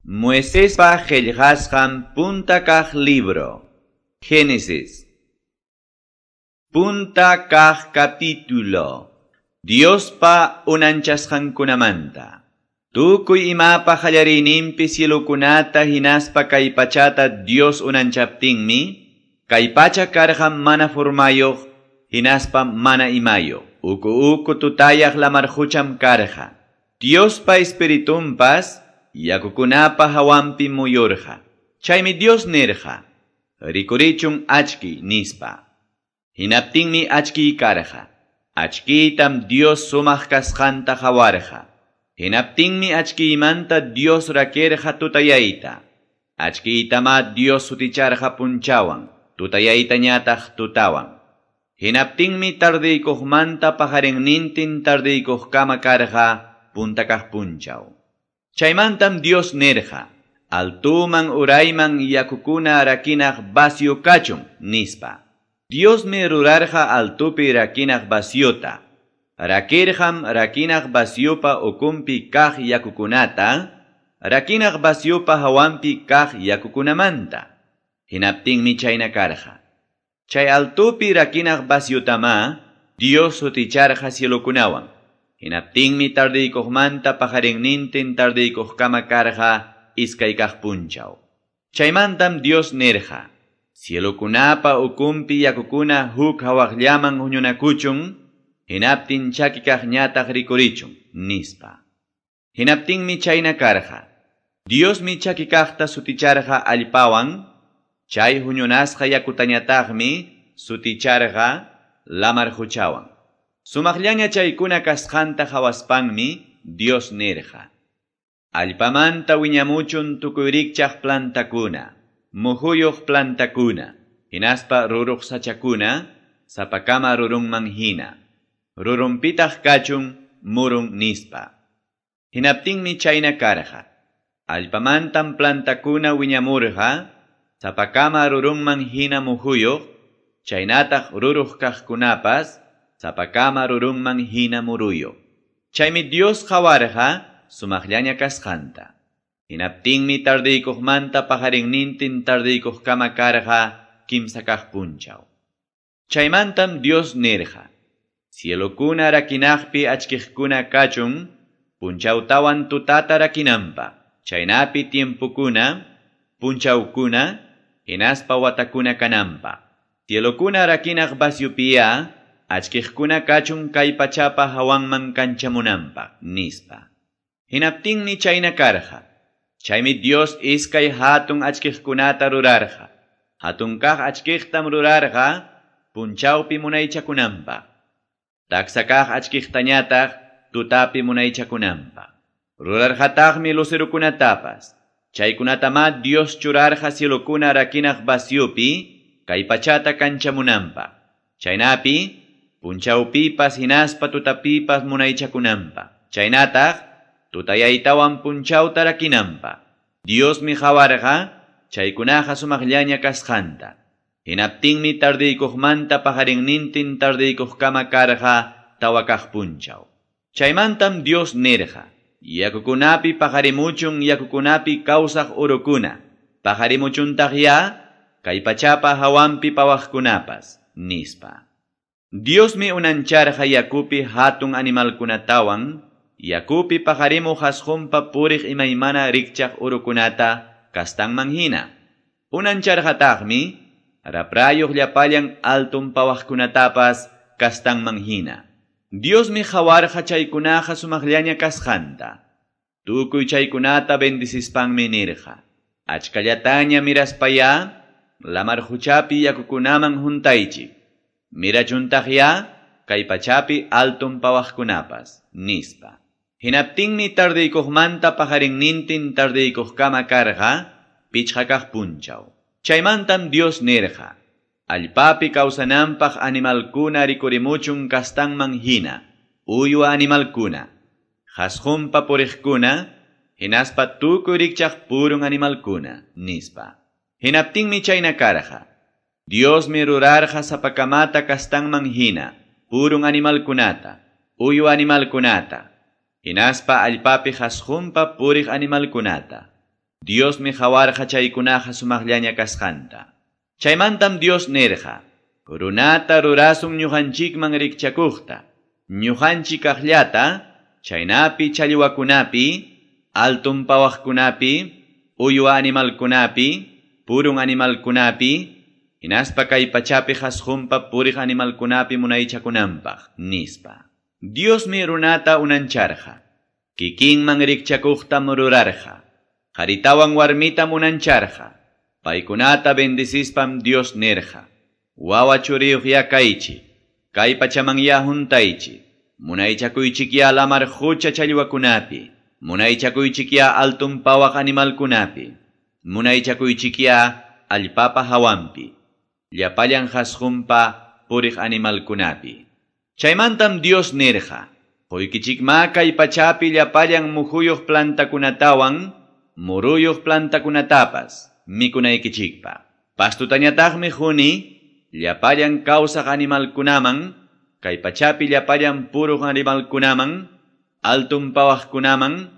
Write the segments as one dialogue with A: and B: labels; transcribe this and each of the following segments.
A: Moisespa qillqasqan punta kaq libro. Génesis. Punta kaq capítulo. Diospa unanchasqankunamanta. Tukuy imapa qallariyninpi cielokunata hinaspa kay pachata Dios unanchaptinmi, kay pacha karqa mana formayuq hinaspa mana imayuq. Uku uku tutayaq lamar qucham karqa. Diospa espiritunpas yakukunapa hawanpi muyurqa. Chaymi Dios nirqa, rikurichun achki nispa. Hinaptinmi achki karqa. Achkiytam Dios sumaq kasqanta qawarqa. Hinaptinmi achkiymanta Dios rakirqa tutayayta. Achkiytama Dios suticharqa punchawan, tutayaytañataq tutawan. Hinaptinmi tardiykuqmanta paqarinnintin tardiykuqkama karqa punta kaq punchaw. Chaymantam Dios nirqa, altuman urayman yakukuna rakinaq vacío kachun, nispa. Diosmi rurarqa altupi rakinaq vaciota. Rakirqam rakinaq vaciopa ukunpi kaq yakukunata, rakinaq vaciopa hawanpi kaq yakukunamanta. Hinaptinmi chayna karqa. Chay altupi rakinaq vaciotama Dios suticharqa cielokunawan. Hinaptinmi tardiykuqmanta paqarinnintin tardiykuqkama karqa iskay kaq punchaw. Chaymantam Dios nirqa, cielokunapa ukunpi yakukuna huk hawaqllaman huñunakuchun, hinaptin chaki kaqñataq rikurichun, nispa. Hinaptinmi chayna karqa. Diosmi chaki kaqta suticharqa allpawan, chay huñunasqa yakutañataqmi suticharqa lamar quchawan. Sumaqllaña chaykuna kasqanta qhawaspanmi Dios nirqa, allpamanta wiñamuchun tukuy rikchaq plantakuna, muhuyuq plantakuna, hinaspa ruruq sachakuna, sapakama rurunman hina. Rurunpitaq kachun murun nispa. Hinaptinmi chayna karqa. Allpamantam plantakuna wiñamurqa, sapakama rurunman hina muhuyuq, chaynataq ruruq kaqkunapas, sapakama rurunman hina muruyuq. Chaymi Dios qawarqa sumaqllaña kasqanta. Hinaptinmi tardiykuqmanta paqarinnintin tardiykuqkama karqa kimsa kaq punchaw. Chaymantam Dios nirqa, cielokuna rakinaqpi achkiqkuna kachun, punchawtawan tutata rakinanpaq, chaynapi tiempokuna, punchawkuna, hinaspa watakuna kananpaq. Cielokuna rakinaq vaciopiya, achkiqkuna kachun kay pachapa hawanman kanchamunanpaq, nispa. Hinaptinmi chayna karqa. Chaymi Dios iskay hatun achkiqkunata rurarqa. Hatun kaq achkiqtam rurarqa, punchawpi munaychakunanpaq. Taksa kaq achkiqtañataq tutapi munaychakunanpaq. Rurarqataqmi lucerokunatapas. Chaykunatama Dios churarqa cielokuna rakinaq vaciopi, kay pachata kanchamunanpaq. Chaynapi, punchawpipas hinaspa tutapipas munaychakunanpaq. Chaynataq, tutayaytawan punchawta rakinanpaq. Diosmi qawarqa, chaykunaqa sumaqllaña kasqanta. Hinaptinmi tardiykuqmanta paqarinnintin tardiykuqkama karqa tawa kaq punchaw. Chaymantam Dios nirqa, yakukunapi paqarimuchun yakukunapi kawsaq urukuna, paqarimuchuntaqya kay pachapa hawanpi pawaqkunapas, nispa. Diosmi unancharqa yakupi hatun animalkunatawan, yakupi paqarimuq asqunpa puriq imaymana rikchaq urukunata kastanman hina. Unancharqataqmi raprayuq llapallan altun pawaqkunatapas kastanman hina. Diosmi qawarqa chaykunaqa sumaqllaña kasqanta. Tukuy chaykunata bendicispanmi nirqa, achkallataña miraspaya, lamar quchapi yakukunaman huntaychik. Mirachuntaqya kay pachapi altun pawaqkunapas, nispa. Hinaptinmi tardiykuqmanta paqarinnintin tardiykuqkama karqa pichqa kaq punchaw. Chaymantam Dios nirqa, allpapi kawsananpaq animalkuna rikurimuchun kastanman hina, uywa animalkuna, qhasqunpa puriqkuna, hinaspa tukuy rikchaq purun animalkuna, nispa. Hinaptinmi chayna karqa. Diosmi rurarqa sapakamata kastanman hina, purun animalkunata, uywa animalkunata, hinaspa allpapi qhasqunpa puriq animalkunata. Diosmi qawarqa chaykunaqa sumaqllaña kasqanta. Chaymantam Dios nirqa: Runata rurasun ñuqanchikman rikchakuqta, ñuqanchik kaqllata, chaynapi challwakunapi, altun pawaqkunapi, uywa animalkunapi, purun animalkunapi, hinaspa kay pachapi qasqunpa puriq animalkunapi munaychakunanpaq, nispa. Diosmi runata unancharqa, kikinman rikchakuqtam rurarqa, qaritawan warmitam unancharqa, paykunata bendicispam Dios nirqa: Wawa churiyuq kaychik, kay pachaman huntaychik, munaychakuychikya lamar qucha challwakunapi, munaychakuychikya altun pawaq animalkunapi, munaychakuychikya allpapa hawanpi, llapallan qasqunpa puriq animalkunapi. Chaymantam Dios nirqa: Quykichikma kay pachapi llapallan muhuyuq plantakunatawan, muruyuq plantakunatapas mikunaykichikpaq. Pastutañataqmi quni llapallan kawsaq animalkunaman, kay pachapi llapallan puruq animalkunaman, altun pawaqkunaman,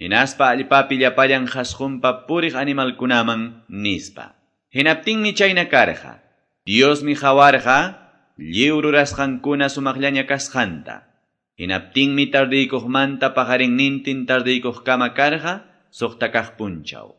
A: hinaspa allpapi llapallan qasqunpa puriq animalkunaman, nispa. Hinaptinmi chayna karqa. Diosmi qawarqa lliw rurasqankuna sumaqllaña kasqanta. Hinaptinmi tardiykuqmanta paqarinnintin tardiykuqkama karqa suqta kaq punchaw.